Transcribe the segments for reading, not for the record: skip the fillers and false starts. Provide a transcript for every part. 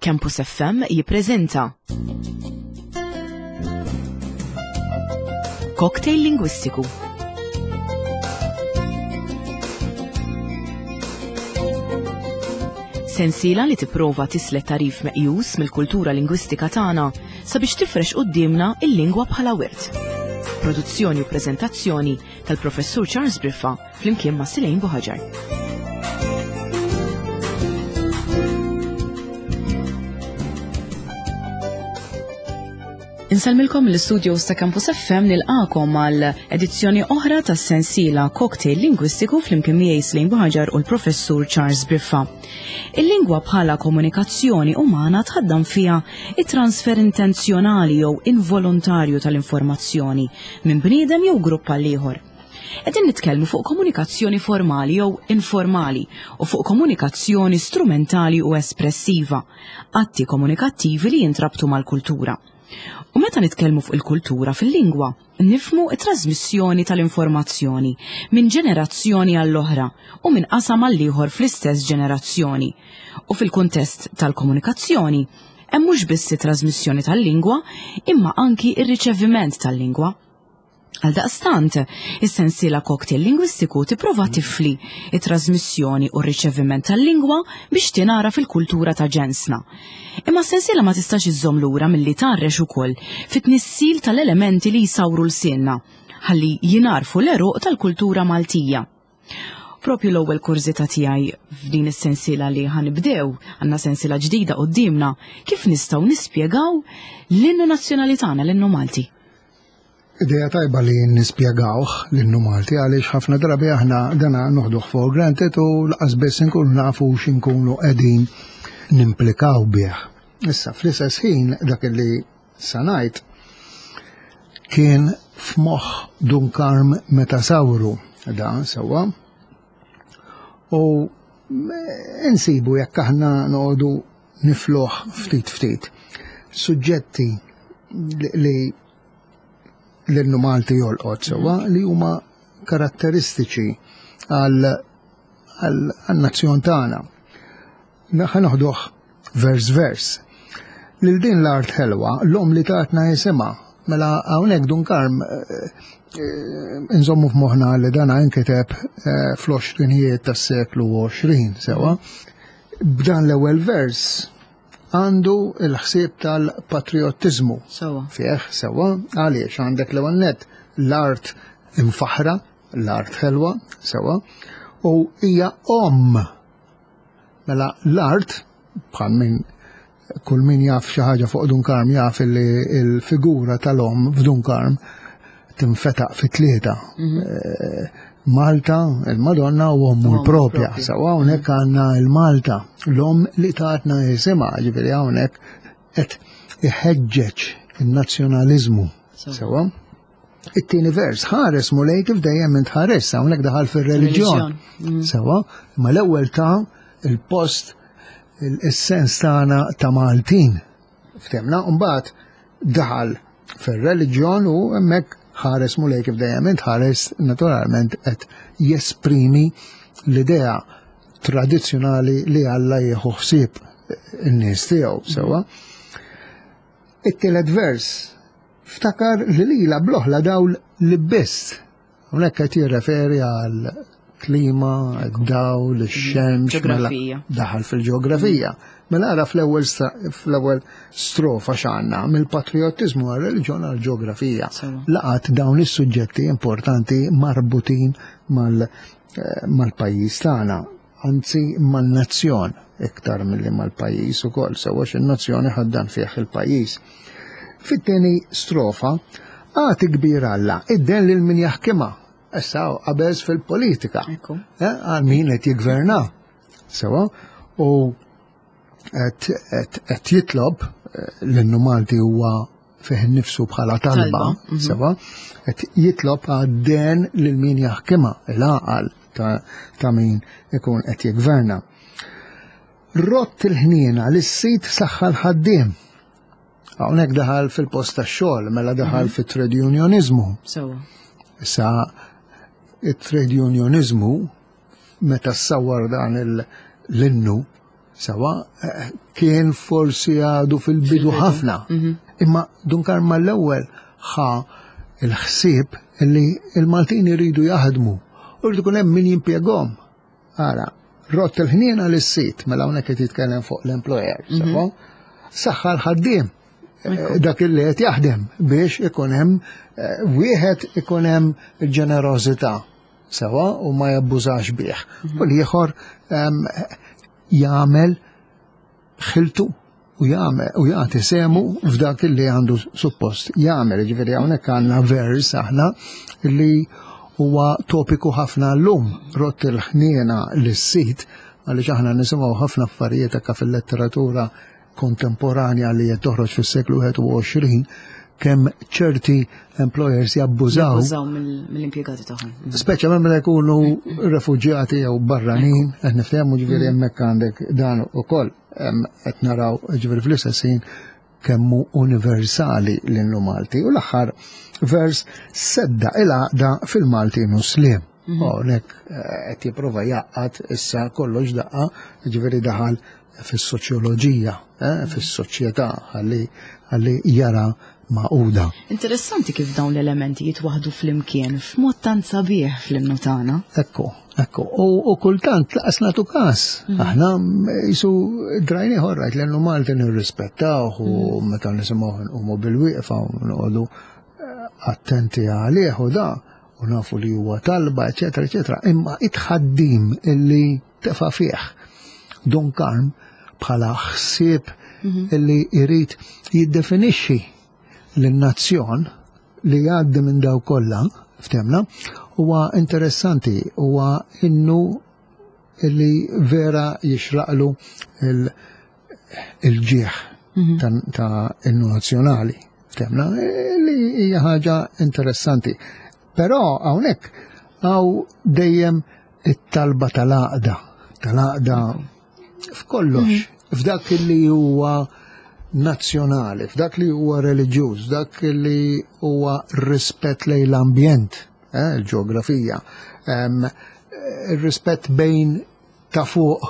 Campus FM jippreżenta Cocktail Lingwistiku. Sensiela li tipprova tislet tarif meqjus mill-kultura lingwistika tagħna sabiex tifrex quddiemna il-lingwa bħala wirt. Produzzjoni u preżentazzjoni tal-Professur Charles Briffa flimkien ma' Silejn Buħaġar. Insalmilkom l-studios ta' Campus FM nilqakom għal edizzjoni oħra tas sensiela Cocktail Lingwistiku flimkien miegħi Slejn Buħaġar u l-Professur Charles Briffa. Il-lingwa bħala komunikazzjoni umana tħaddam fiha it-transfer intenzjonali jew involontarju tal-informazzjoni minn bniedem jew grupp għal ieħor. Qegħdin nitkellmu fuq komunikazzjoni formali jew informali u fuq komunikazzjoni strumentali u espressiva, atti komunikattivi li jintrabtu mal-kultura. U meta nitkellmu fuq il-kultura fil-lingwa, nifmu it-trasmissjoni tal-informazzjoni minn ġenerazzjoni għall-oħra u minn qasam għall-ieħor fl-istess ġenerazzjoni. U fil-kuntest tal-komunikazzjoni, hemm mhux biss it-trasmissjoni tal-lingwa, imma anki ir-riċeviment tal-lingwa. Għaldaqstant, is-sensiela cocktail lingwistiku tipprova tifli it-trasmissjoni u r-riċeviment tal-lingwa biex tingħara fil-kultura ta' ġensna. Imma s-sensiela ma tistax iżżomm lura milli tgħarrex ukoll fit-tnissil tal-elementi li jsawru lsienna ħalli jingħarfu l-għeruq tal-kultura Maltija. Propju l-ewwel kurżità tiegħi f'din is-sensiela li ħanibdew, għandna sensiela ġdida quddiemna, kif nistgħu nispjegaw l-innu nazzjonali tagħna, l-innu Malti? Ideja tajba li nispjegawh l-innu Malti għaliex ħafna drabi aħna dana noħduh for granted u laqas biss inkunu nafu x'inkunu qegħdin nimplikaw bih. Issa fl-istess ħin dak li sa ngħid kien f'moħħ Dun Karm meta sawru dan sewwa. U insibu jekk aħna noqogħdu nifluh ftit ftit. Suġġetti li l-innu Malti jolqot sewwa li huma karatteristiċi għal nazzjon tagħna. Ħa noħduh vers vers. Lil din l-art ħelwa, l-om li tatna jisimha, mela hawnhekk Dun Karm eh, eh, inżommu f'moħħna li dana inkiteb eh, fl-għoxrinijiet tas-seklu 20 sewa. B'dan l-ewwel vers għandu l-ħsieb tal-patriottiżmu. Sewa. Fih, sewa, għaliex għandek l-ewwel nett l-art imfaħra, l-art ħelwa, sewa, u hija omm. Mela l-art, bħal min kull min jaf xi ħaġa fuq Dun Karm jaf li l-figura tal-omm f'Dun Karm tinfetaq fi tlieta. Mhm. Eh, Malta, il-Madonna u ommu l-propja. Sawa hawnhekk għandna l-Malta, l-omm li tatna jisimha, ġifieri hawnhekk qed iħeġġeġ in-nazzjonaliżmu. Sewa. It-tieni vers, ħares mulej kif dejjem int ħares, hawnhekk daħal fir-reliġjon. Mm. Sewa, ma l-ewwel ta' il-post il-sens tagħna ta' Maltin. Ftemna, mbagħad daħal fir-reliġjon u hemmhekk ħares mulej kif dejjem int ħares naturalment qed jesprimi l-idea tradizzjonali li Alla jieħu ħsieb in-nies tiegħu sewwa. It-tielet vers ftakar li lila bl-oħla dawl li biss Hawnhekk qed jirreferi għal klima, dawl, ix-xemx, mela daħal fil-ġeografija. Mela ara fl-ewwel fl-ewwel strofa x'għandna mill-patriottiżmu għal reliġjon għal ġeografija. Laqat dawn is-suġġetti importanti marbutin eh, mal-pajjiż tagħna, anzi man-nazzjon iktar milli mal-pajjiż ukoll, sewwa x'in-nazzjoni ħaddan fih il-pajjiż. Fit-tieni strofa, agħti kbir Alla, id-den lil min jaħkimha. Issa qabeż fil-politika. Eh, għal min qed jiggverna. Sewa, u qed jitlob eh, l-innu Malti huwa fih nifsu bħala talba, mhm. sewa, qed jitlob għad-den lil min jaħkimha, il-għaqal ta' min ikun qed jiggverna. Rott il-ħniena lis-sid saħħa l-ħaddiem. Hawnhekk daħal fil-post tax-xogħol, mela daħal mhm. fit-trade unionizmu. Sewa. Issa it-trade unionizmu meta ssawwar dan l-innu. Sewa, kien forsi għadu fil-bidu ħafna. Mhm. Imma Dun Karm mal-ewwel ħa il-ħsieb li il-Maltin iridu jaħdmu u jridu jkun hemm min jimpjegahom. Ara, rott il-ħniena lis-sid, mela hawnhekk qed jitkellem fuq l-employer, mhm. sewa, saħħa l-ħaddiem eh, dak li qed jaħdem biex ikun hemm eh, wieħed ikun hemm il-ġenerożità sewa u ma jabbużax bih. Mhm. U l-ieħor ehm, jagħmel ħiltu u jagħmel u jagħti semu f'dak li għandu suppost jagħmel. Ġifieri hawnhekk għandna vers aħna li huwa topiku ħafna llum rott il-ħniena lis-sit għaliex aħna nisimgħu ħafna affarijiet hekk fil-letteratura kontemporanja li qed toħroġ fis-seklu 21 kemm ċerti employers jabbużaw. Jabbużaw mill-impjegati tagħhom. Speċjalment meta jkunu refuġjati jew barranin, qed niftehmu ġifieri mm. hemmhekk għandek dan ukoll qed naraw ġifieri fl-istess ħin kemmu universali l-innu Malti. U l-aħħar vers sedda il-għaqda fil-Malti Muslim. Mhm. Hawnhekk eh, qed jipprova jaqgħad issa kollox daqqa, ġifieri daħal fis-soċjoloġija, eh, fis-soċjetà ħalli jara magħquda. Interessanti kif dawn l-elementi jitwaħdu flimkien f'mod tant sabiħ fl-innu tagħna. Ekku, ekku. U kultant laqas nagħtu każ. Mhm. Aħna jisu drajni ħorrajt l-innu Malti nirrispettawh u mhm. meta nisimgħu nqumu bil-wieqfa u noqogħdu eh, attenti għalih u da u nafu li huwa talba, eċetera, eċetera. Imma it-ħaddim illi tefa' fih Don Karm bħala ħsieb mhm. illi jrid jiddefinixxi lin-nazzjon li jgħaddi minn daw kollha ftemna huwa interessanti huwa innu illi vera jixraqlu il-ġieħ mhm. ta' innu nazzjonali ftemna li hija ħaġa interessanti. Però hawnhekk hawn dejjem it-talba tal-għaqda, tal-għaqda f'kollox, mhm. f'dak li huwa nazzjonali, f'dak li huwa reliġjuż, f'dak li huwa rispett lejn l-ambjent, eh, il-ġeografija, ir-rispett bejn ta' fuq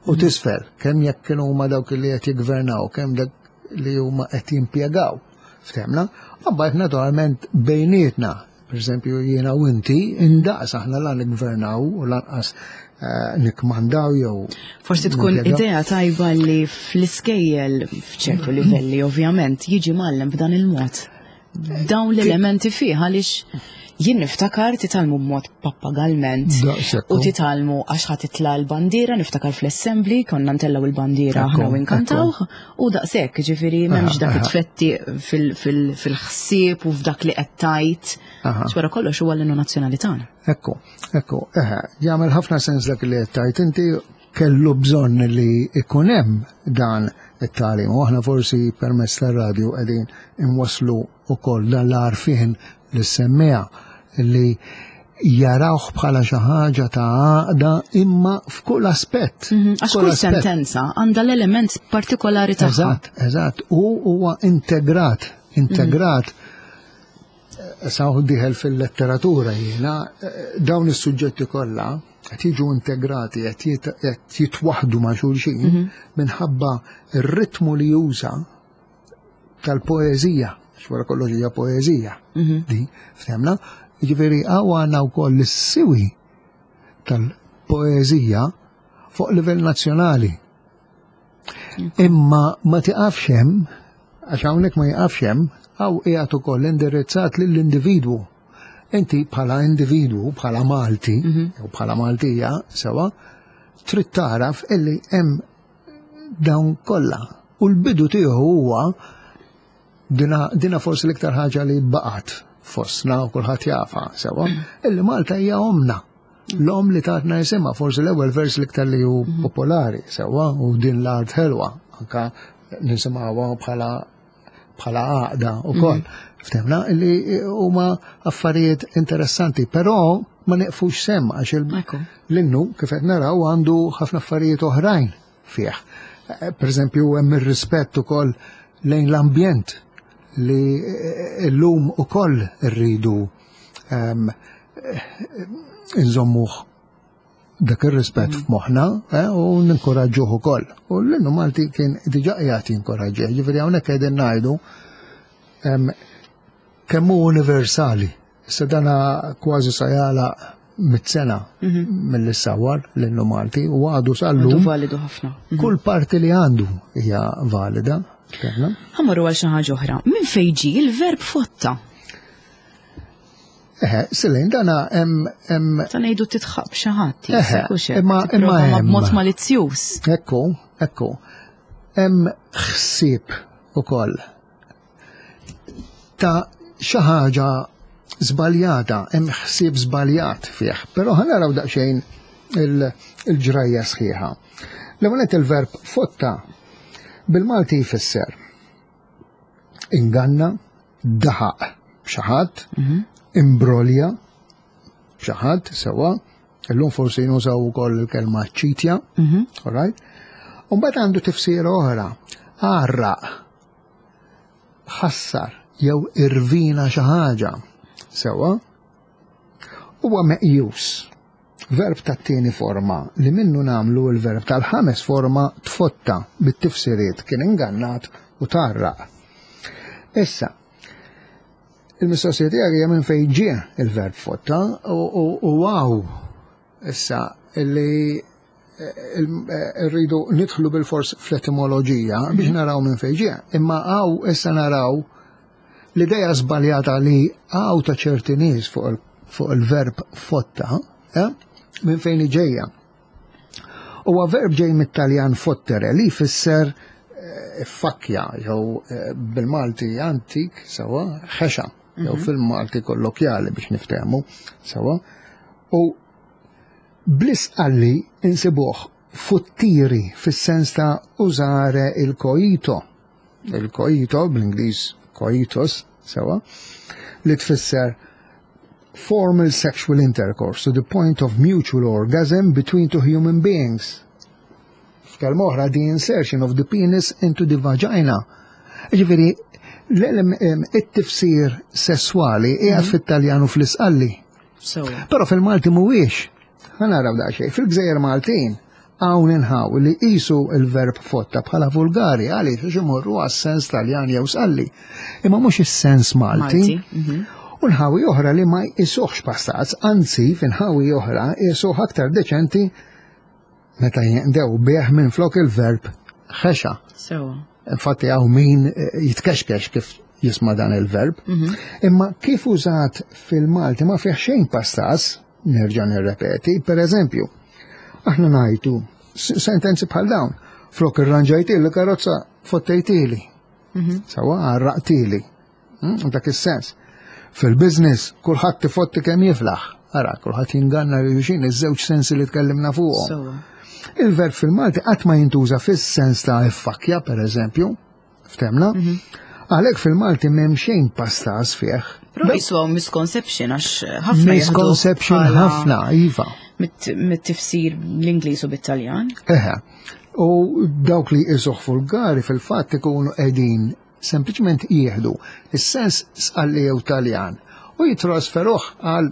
u mhm. tisfel, kemm jekk kienu huma dawk li qed jiggvernaw, kemm dak li huma qed jimpjegaw. Ftemna, mbagħad naturalment bejnietna Per eżempju, jiena u inti, indaqs aħna la nikgvernaw u lanqas eh, nikmandaw jew. Forsi tkun idea tajba li fl-iskejjel f'ċertu livelli ovvjament jiġi mgħallem b'dan il-mod. Dawn l-elementi fih għaliex jien niftakar titgħallmu b'mod pappagalment u titgħallmu għax ħa titla' l-bandiera, niftakar fl-assembly konna ntellgħu il-bandiera aħna u nkantaw U daqshekk, ġifieri m'hemmx dak it-tfetti fil-ħsieb u f'dak li qed tgħid. Xwara kollox huwa l-innu nazzjonali tagħna. Ekku, ekku, eħe, jagħmel ħafna sens dak li qed tgħid inti kellu bżonn li ikun hemm dan it-tagħlim. U aħna forsi permezz tar-radju qegħdin inwasslu wkoll dan l-għarfien lis-semmiegħa li jarawh bħala xi ħaġa ta' għaqda imma f'kull aspett. Mhm, għax kull sentenza għandha l-element partikolari tagħha. Eżatt, eżatt, u huwa integrat, integrat. Mhm. Sa diħel fil-letteratura jiena, eh, dawn is-suġġetti kollha qed jiġu integrati, qed jitwaħdu ma' xulxin mhm. minħabba r-ritmu li juża tal-poeżija, xwara kollox hija poeżija, mhm. di, ftemna, jiġifieri hawn għandna wkoll is-siwi tal-poeżija fuq livell nazzjonali. Mhm. Imma ma tiqafx hemm, għax hawnhekk ma jiqafx hemm, hawn qiegħed ukoll indirizzat lill-individwu. Inti bħala individwu, bħala Malti, mhm. jew bħala Maltija, sewa, trid taraf illi hemm dawn kollha. U l-bidu tiegħu huwa dina, dina forsi l-iktar ħaġa li baqgħet fostna u kulħadd jafa sewa, illi Malta hija omna. L-om li tatna jisimha, forsi l-ewwel vers l-iktar li hu mhm. popolari sewa u din l-art ħelwa, anka nisimgħuha bħala bħala għaqda u koll. Mhm. Ftemna li huma affarijiet interessanti, però ma neqfux sem għax l-innu kif qed naraw għandu ħafna affarijiet oħrajn fih. Eh, per eżempju hemm ir-rispett ukoll lejn l-ambjent li eh, llum ukoll irridu ehm, eh, nżommuh. dak ir-rispett mm. f'moħħna eh, u ninkoraġġuh ukoll. U l-innu Malti kien diġà qiegħed jinkoraġġih, ġifieri hawnhekk qegħdin ngħidu kemm hu universali. Issa dana kważi sa jagħlaq mit-sena mhm. mill sawar l-innu Malti u għadu sal-lum. Validu ħafna. Mhm. Kull parti li għandu hija valida. Ħamorru għal xi ħaġa oħra. Minn fejn ġie il-verb fotta? Eħe, Silejn, dana hemm hemm. Ta' ngħidu titħaq b'xi ħadd, imma imma b'mod malizzjuż. Ekku, ekku. Hemm ħsieb ukoll ta' xi ħaġa żbaljata, hemm ħsieb żbaljat fih, però ħa naraw daqsxejn il-ġrajja sħiħa. L-ewwel il-verb fotta bil-Malti jfisser inganna, daħaq b'xi ħadd, mhm. imbrolja b'xi ħadd sewwa, illum forsi nużaw ukoll il-kelma ċitja, mhm. all right? U mbagħad għandu tifsira oħra, għarraq, ħassar jew irvina xi ħaġa. Sewwa? Huwa meqjus Verb tat-tieni forma li minnu nagħmlu l-verb tal-ħames forma tfotta bit-tifsiriet kien ingannat u tgħarraq. Issa, il-mistoqsija tiegħek hija minn fejn ġie il-verb fotta u wow issa li eh, eh, rridu nidħlu bil-fors fl-etimoloġija biex mhm. naraw minn fejn ġie. Imma hawn issa naraw L-idea żbaljata li hawn ta' ċerti nies fuq il-verb fotta, eh, minn fejn ġejja. Huwa verb ġej mit-Taljan fottere li jfisser eh, fakkja jew eh, bil-Malti antik sewa ħexa jew mhm. fil-Malti kollokjali biex niftehmu sewa. U bl-isqalli insibuh futtiri fis-sens ta' użare il-koito Il-coito, bl-Ingliż coitus, sewa, li tfisser formal sexual intercourse to the point of mutual orgasm between two human beings. F'kelma oħra, the insertion of the penis into the vagina. Ġifieri, it-tifsir sesswali qiegħed mhm. fit-Taljan u fl-Isqalli. Però fil-Malti mhuwiex. Ħa naraw daqsxejn. Fil-Gżejjer Maltin hawn inħaw li qisu l-verb fotta bħala vulgari għaliex għax imorru għas-sens Taljan jew Sqalli. Imma mhux is-sens Malti. Mhm. U nħawi oħra li ma jqisuhx pastaz, anzi f'inħawi oħra jqisuh aktar deċenti meta jinqdew bih minn flok il-verb ħexa. Infatti hawn min eh, jitkexkex kif jisma' dan il-verb. Mhm. Imma kif użat fil-Malti ma fih xejn pastas, nerġa' nirrepeti, per eżempju, aħna ngħidu sentenzi bħal dawn, flok irranġajtili karozza fottejtili. Mhm. Sawa għarraqtili. Hmm, dak is-sens. Fil-biznis, kulħadd tifotti kemm jiflaħ. Ara, kulħadd jinganna li xin iż-żewġ sensi li tkellimna fuqhom. Il-verb fil-Malti qatt ma jintuża fis-sens ta' iffakja, per eżempju, ftemna. Mhm. Għalhekk fil-Malti m'hemm xejn pastas fih. Però jisu hawn misconception għax ħafna Misconception ħafna, iva. Mit-tifsir l-Ingliż u bit-Taljan. Eħe. U dawk li jisuh vulgari fil-fatt ikunu qegħdin sempliċement jieħdu is-sens sqalli jew Taljan u jitrasferuh għal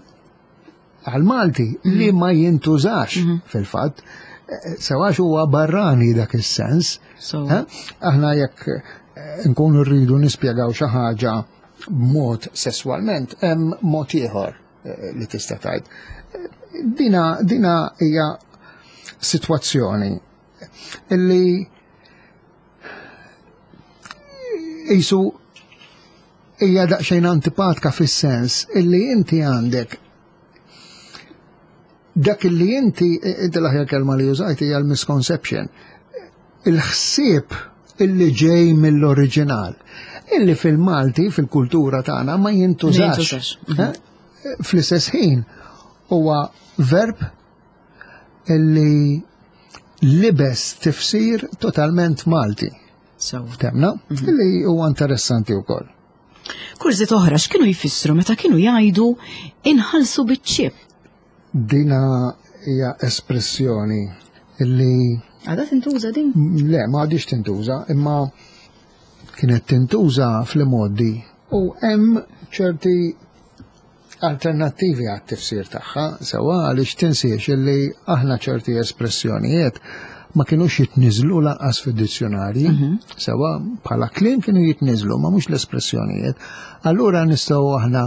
għal Malti mhm. li ma jintużax mhm. fil-fatt eh, sewax huwa barrani dak is-sens. Eh, aħna jekk eh, nkunu rridu nispjegaw xi ħaġa b'mod sesswalment hemm mod ieħor li tista' tgħid. Dina dina hija sitwazzjoni illi Isu hija daqsxejn antipatka fis-sens illi inti għandek dak illi inti inti l-aħjar kelma li użajt hija l-misconception. Il-ħsieb illi ġej mill-oriġinal, illi fil-Malti, fil-kultura tagħna ma jintużax. Mhm. Eh? Fl-istess ħin huwa verb illi libes tifsir totalment Malti. Temna, mhm. illi huwa interessanti wkoll. Kurżiet oħra x'kienu jfissru meta kienu jgħidu inħallsu biċ-ċip? Dina hija espressjoni illi Għadha tintuża din? Le, ma għadix tintuża, imma kienet tintuża fl-modi u hemm ċerti. alternattivi għat-tifsir tagħha, sewa għaliex tinsiex illi aħna ċerti espressjonijiet ma kienux jitniżlu lanqas fid-dizzjonarji, sewa bħala kliem kienu jitniżlu ma mhux l-espressjonijiet. Allura nistgħu aħna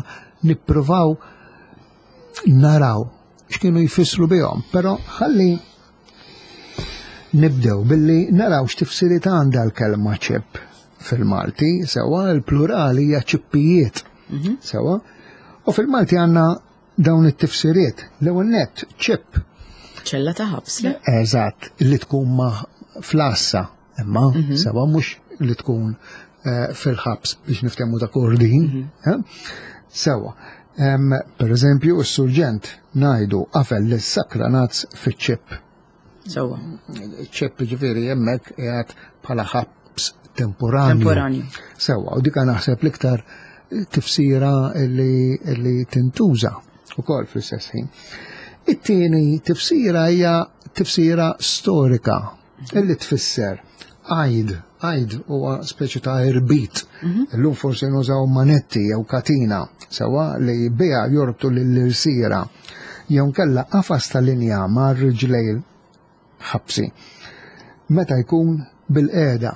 nippruvaw naraw x'kienu jfissru bihom, però ħalli nibdew billi naraw x'tifsiriet għandha l-kelma ċip fil-Malti, sewa l-plurali hija ċippijiet. Sewa. U fil-Malti għandna dawn it-tifsiriet. L-ewwel nett ċip. Ċella ta' ħabs, le? Eżatt, li tkun ma flassa, imma sewa mhux li tkun fil-ħabs biex niftehmu ta' kordin. Sewa. Per eżempju, s-surġent ngħidu qafel lis-sakranazz fiċ-ċip. Sewa. Ċip ġifieri hemmhekk qiegħed bħala ħabs temporanju. Temporanju. Sewa, u dika naħseb l-iktar tifsira li tintuża ukoll fl-istess ħin. It-tieni tifsira hija tifsira storika illi tfisser għajd, għajd huwa speċi ta' irbit. Illum forsi nużaw manetti jew katina, sewa li biha jorbtu lill-irsira jew nkella qafas ta' linja ma' riġlejn ħabsi. Meta jkun bil-qiegħda,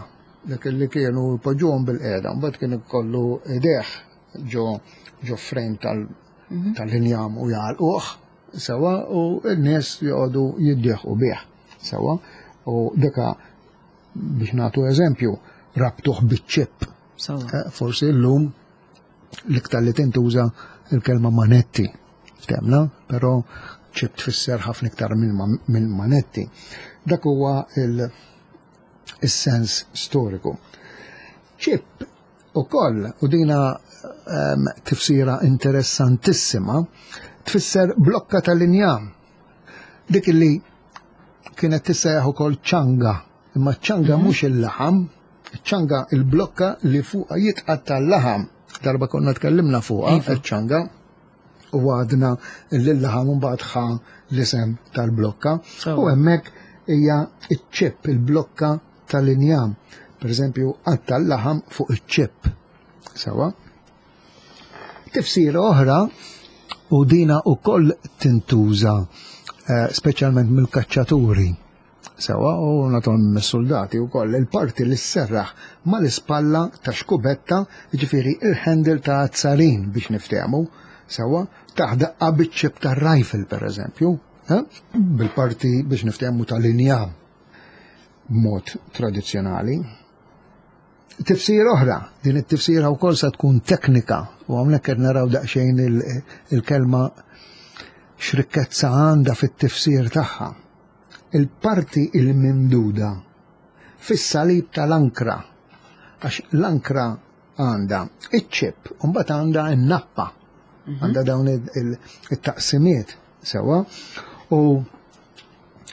dak li kienu jpoġġuhom bil-qiegħda, mbagħad kien ikollu idejh ġo ġo frame tal-injam u jagħlquh sewa u n-nies joqogħdu jiddieħqu bih sewa u dika biex nagħtu eżempju rabtuh biċ-ċip. Forsi llum l-iktar li tintuża il-kelma manetti, ftemna, però ċip tfisser ħafna iktar minn manetti. Dak huwa il-sens storiku. Ċip ukoll, u dina tifsira interessantissima, tfisser blokka tal-injam. Dik li kienet tissejjaħ ukoll ċanga, imma ċanga mhux il-laħam, ċanga il-blokka li fuqha jitqatta' l-laħam. Darba konna tkellimna fuqha iċ-ċanga u għadna li l-laħam mbagħad ħa l-isem tal-blokka. U hemmhekk hija iċ-ċip, il-blokka tal-injam. Per eżempju, qatta' l-laħam fuq iċ-ċip. Sewa. Tifsira oħra u dina ukoll tintuża speċjalment mill-kaċċaturi. Sewa, u naturalment mis-soldati wkoll, il-parti li sserraħ mal-ispalla ta' xkubetta, jiġifieri il-handle ta' azzarin biex niftehmu, sewa, taħ daqqa biċ-ċip tar-rifle pereżempju, bil-parti biex niftehmu tal-injam b'mod tradizzjonali. Tifsira oħra, din it-tifsira wkoll sa tkun teknika, u hawnhekk qed naraw daqsxejn il-kelma x'rikkezza għandha fit-tifsir tagħha. Il-parti il-mimduda fis-salib tal-ankra, għax l-ankra għandha iċ-ċip, u mbagħad għandha n-nappa, għandha dawn it-taqsimiet sewa, u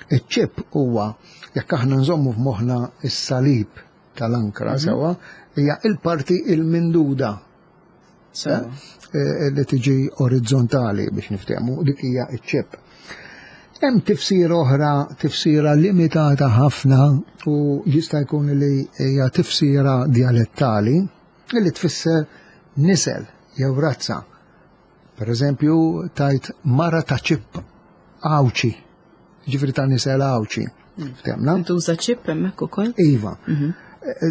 iċ-ċip huwa jekk aħna nżommu f'moħħna s-salib tal-ankra sewa, hija il-parti il-minduda. Li tiġi orizzontali biex niftehmu, dik hija ċ-ċip. Hemm tifsira oħra, tifsira limitata ħafna u jista' jkun li hija tifsira dialettali li tfisser nisel jew razza. Per eżempju, tajt mara ta' ċip Għawdxi, ġifieri ta' nisel Għawdxi. Ftemna? Intuża ċip hemmhekk ukoll? Iva.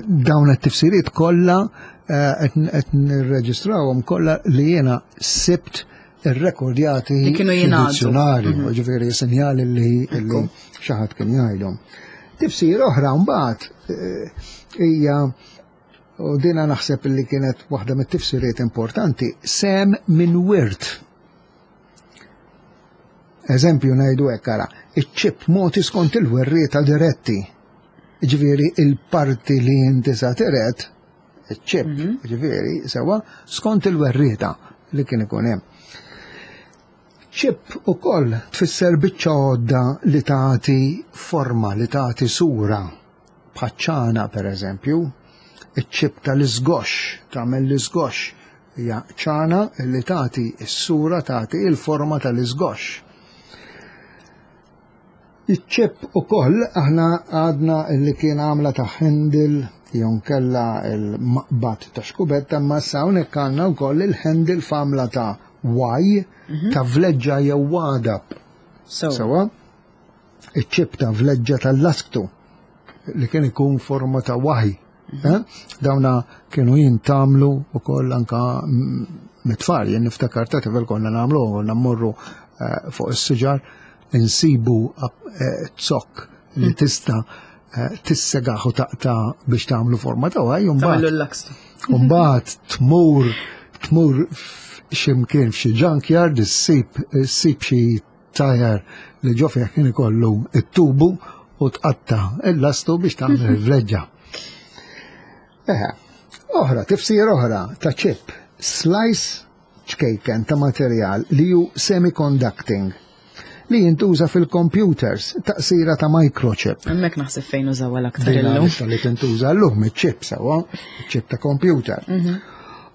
Dawn it-tifsiriet kollha qed nirreġistrawhom kollha li jiena sibt irrekordjati Li kienu jingħadu. fid-dizzjonarju, ġifieri sinjali li xi ħadd kien jgħidhom. Tifsira oħra mbagħad hija, u dina naħseb li kienet waħda mit-tifsiriet importanti, sem minn wirt. Eżempju ngħidu hekk ara, iċ-ċip moti skont il-werrieta diretti. Ġifieri il-parti li inti sa tiret, iċ-ċip, ġifieri sewa, skont il-werrieta li kien ikun hemm. Ċip ukoll tfisser biċċa għodda li tagħti forma, li tagħti sura, bħaċ-ċana per eżempju, iċ-ċip tal-iżgoxx, tagħmel l-iżgoxx, hija ċana li tagħti s-sura, tagħti il-forma tal-iżgoxx. Iċ-ċip ukoll aħna għadna li kien għamla ta' handle jew nkella l-maqbad ta' xkubetta, imma issa hawnhekk għandna wkoll il-handle f'għamla ta' Y ta' vleġġa jew għadab. Sewa? Iċ-ċip ta' vleġġa tal-lasktu li kien ikun forma ta' waħi. Mhm. Eh? Dawna kienu jintamlu u koll anka mit-tfal, jien niftakar ta' tifel konna namlu, konna mmorru eh, fuq is-siġar insibu eh, zokk li mhm. tista' tissegaħ u taqta biex tagħmlu forma ta' waħi, Mbagħad tmur tmur x'imkien f'xi junkyard issib issib xi tajer li ġo fih kien ikollu it-tubu u tqatta il-lastu biex tagħmel il-vleġġa. Eħe, oħra, tifsir oħra ta' chip, slice ċkejken ta' materjal li hu semiconducting li jintuża fil-computers, taqsira ta' microchip. Hemmhekk naħseb fejn użawha l-aktar illum. Li tintuża llum iċ-chip sewwa, chip ta' computer. Mhm.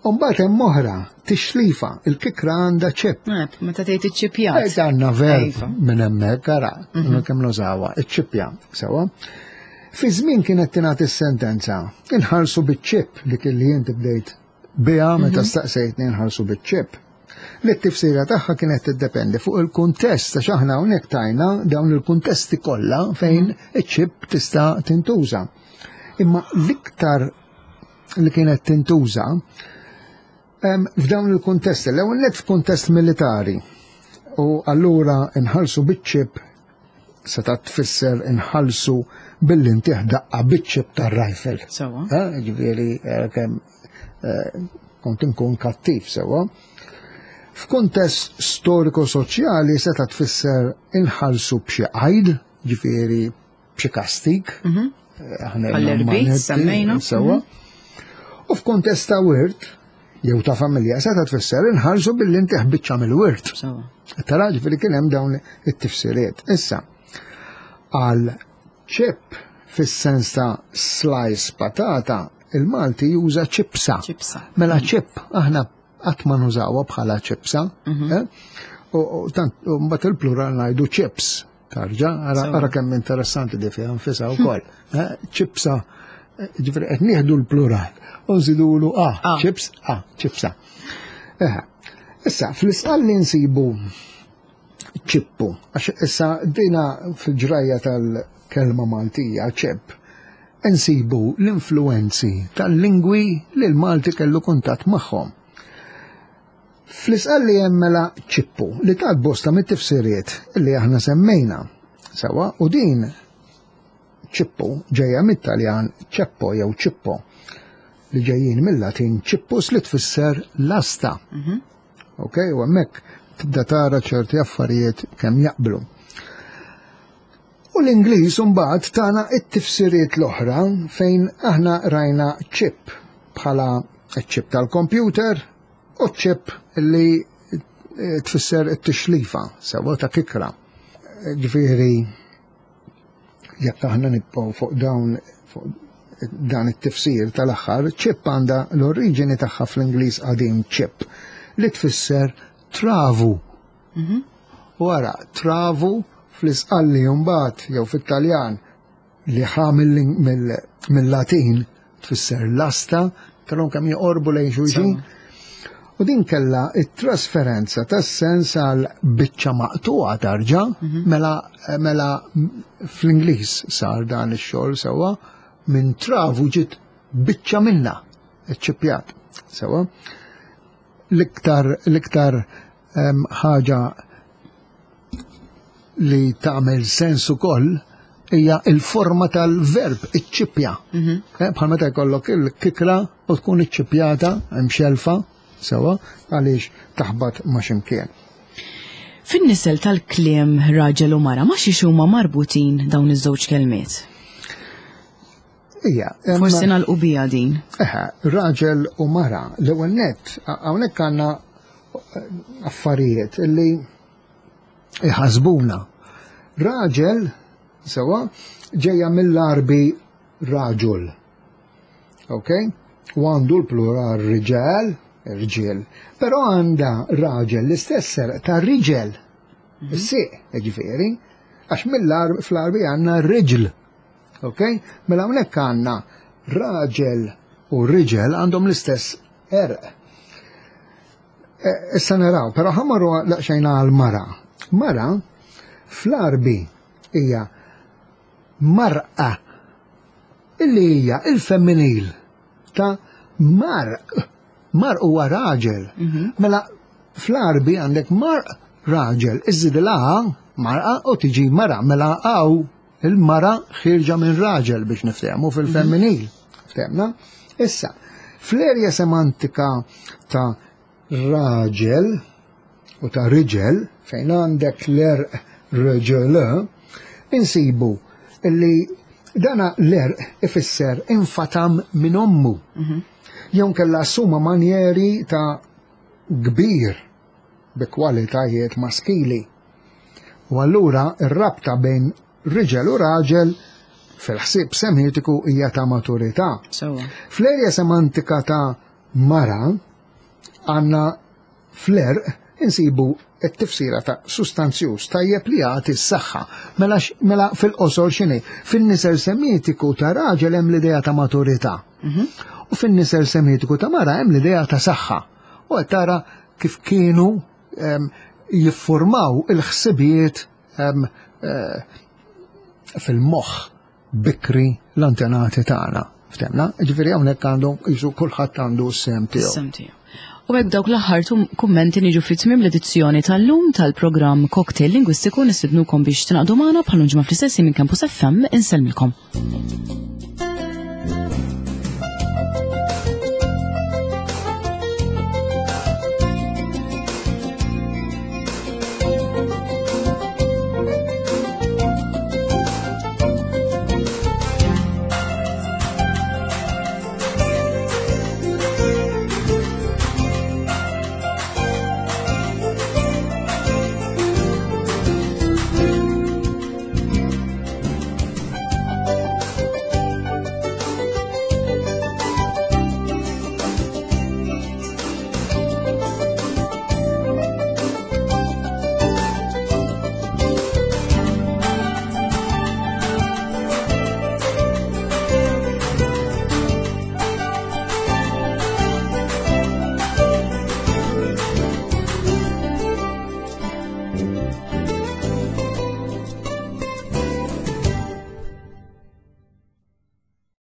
Umbagħad hemm oħra, tixlifa, il-kikra għandha ċip. Eh, meta tgħid iċ-ċipjat. Eh, għandna verb iva. minn hemmhekk, ara, mhm. kemm nużawha, iċ-ċipja, sewwa. Fi żmien kienet tingħati s-sentenza, inħarsu biċ-ċip dik li inti bdejt biha meta mhm. staqsejtni nħarsu biċ-ċip. Li t-tifsira tagħha kienet tiddependi fuq il-kuntest għax aħna hawnhekk tajna dawn il-kuntesti kollha fejn mhm. iċ-ċip tista' tintuża. Imma l-iktar li kienet tintuża f'dawn il-kuntesti, l-ewwel net f'kuntest militari. U allura nħallsu biċ-ċip seta' tfisser inħallsu billi ntih daqqa biċ-ċip tar-rifle. Sewa. Eh, ġifieri eh, kemm eh, kont inkun kattiv sewa. F'kuntest storiku-soċjali seta' tfisser inħallsu b'xi qajd, ġifieri b'xi kastig. Mhm. Eh, Għall-irbit, semmejna. Sewa. Mhm. U f'kuntest ta' wirt, jew ta' familja, seta' tfisser inħarsu billi intih biċċa mill-wirt. Tara ġifieri kien hemm dawn it-tifsiriet. Issa, għal ċip fis-sens ta' slice patata, il-Malti juża ċipsa. Mela ċip aħna qatt ma nużawha bħala ċipsa. Mhm. Eh? U tant mbagħad il-plural ngħidu chips. Tarġa, ara kemm interessanti di fiha nfisha wkoll. Eh, ċipsa, eh, ġifieri qed nieħdu l-plural u nżidulu a, ah, ċips, a, ċipsa. Issa, fl-isqalli nsibu ċippu, għax issa dina fil-ġrajja tal-kelma Maltija ċip, insibu l-influenzi tal-lingwi li l-Malti kellu kuntatt magħhom. Fl-Isqalli hemm mela ċippu li tat bosta mit-tifsiriet li aħna semmejna. Sewa, u din ċippu ġejja mit-Taljan ceppo jew cippo li ġejjin mill-Latin cippus li tfisser lasta. Mhm. Ok, u hemmhekk tibda tara ċerti affarijiet kemm jaqblu. U l-Ingliż mbagħad tana it-tifsiriet l-oħra fejn aħna rajna chip bħala chip tal-computer u chip li eh, tfisser it-tixlifa, sewa ta' kikra. Ġifieri jekk aħna nibqgħu fuq dawn fuq dan it-tifsir tal-aħħar, chip għandha l-oriġini tagħha fl-Ingliż qadim chip li tfisser travu. Mhm. U ara, travu fl-Isqalli mbagħad jew fit-Taljan li ħa mill-Latin tfisser lasta, kellhom kemm joqorbu lejn xulxin. U din kella it-trasferenza tas-sens għal biċċa maqtuqa tarġa, mhm. mela, mela fl-Ingliż sar dan ix-xogħol sewwa minn travu ġiet biċċa minna, ċċippjat sewwa. L-iktar l-iktar ħaġa li tagħmel sens ukoll hija il-forma tal-verb iċċippja. Mhm. Eh, bħal meta jkollok il-kikra u tkun iċċippjata hemm xelfa sewa għaliex taħbat ma' ximkien. Fin-nisel tal-kliem raġel u mara ma xiex huma marbutin dawn iż-żewġ kelmiet? Ija. Forsi nagħlqu biha din. Eħe, raġel u mara. L-ewwel nett, hawnhekk għandna eh, affarijiet illi iħasbuna. Raġel, sewa, ġejja mill-Arbi raġul. Ok? U għandu l-plural riġel, rġiel. Però għandha raġel l-istess serq ta' riġel. Mhm. Is-sieq, ġifieri, għax mill-Arbi fl-Arbi għandna riġl. Ok? Mela hawnhekk għandna raġel u riġel għandhom l-istess erq. Eh, issa naraw, però ħamaru laqxajna għal mara. Mara fl-Arbi hija marqa illi hija il-femminil ta' marq. Marq huwa raġel. Mhm. Mela fl-Arbi għandek marq raġel, iżidilha marqa u tiġi mara, mela għaw il-mara ħirġa minn raġel biex niftehmu fil-femminil. Ftehmna? Issa, fl-erja semantika ta' raġel u ta' riġel, fejn għandek l-erq reġel, insibu li dana l-erq ifisser infatam minn ommu. Mhm. Jew kella assuma manjeri ta' kbir bi kwalitajiet maskili. U allura r-rabta bejn riġel u raġel fil-ħsieb semitiku hija ta' maturità. Fl-erja semantika ta' mara għandna fl-erq insibu t-tifsira ta' sustanzjuż tajjeb li jagħti s-saħħa. Mela, mela fil-qosor x'inhi? Fin-nisel semitiku ta' raġel hemm l-idea ta' maturità. Mhm. U fin-nisel semitiku ta' mara hemm l-idea ta' saħħa. U qed tara kif kienu jiffurmaw il-ħsibijiet eh, fil-moħħ bikri l-antenati tagħna. Ftemna? Ġifieri hawnhekk għandu jisu kulħadd għandu s-sem tiegħu. Sem tiegħu. U hekk dawk l-aħħar kummenti niġu fi tmiem l-edizzjoni tal-lum tal-programm Cocktail Lingwistiku nistidnukom biex tingħaqdu magħna bħal ġimgħa fl-istess minn Campus FM insellmilkom.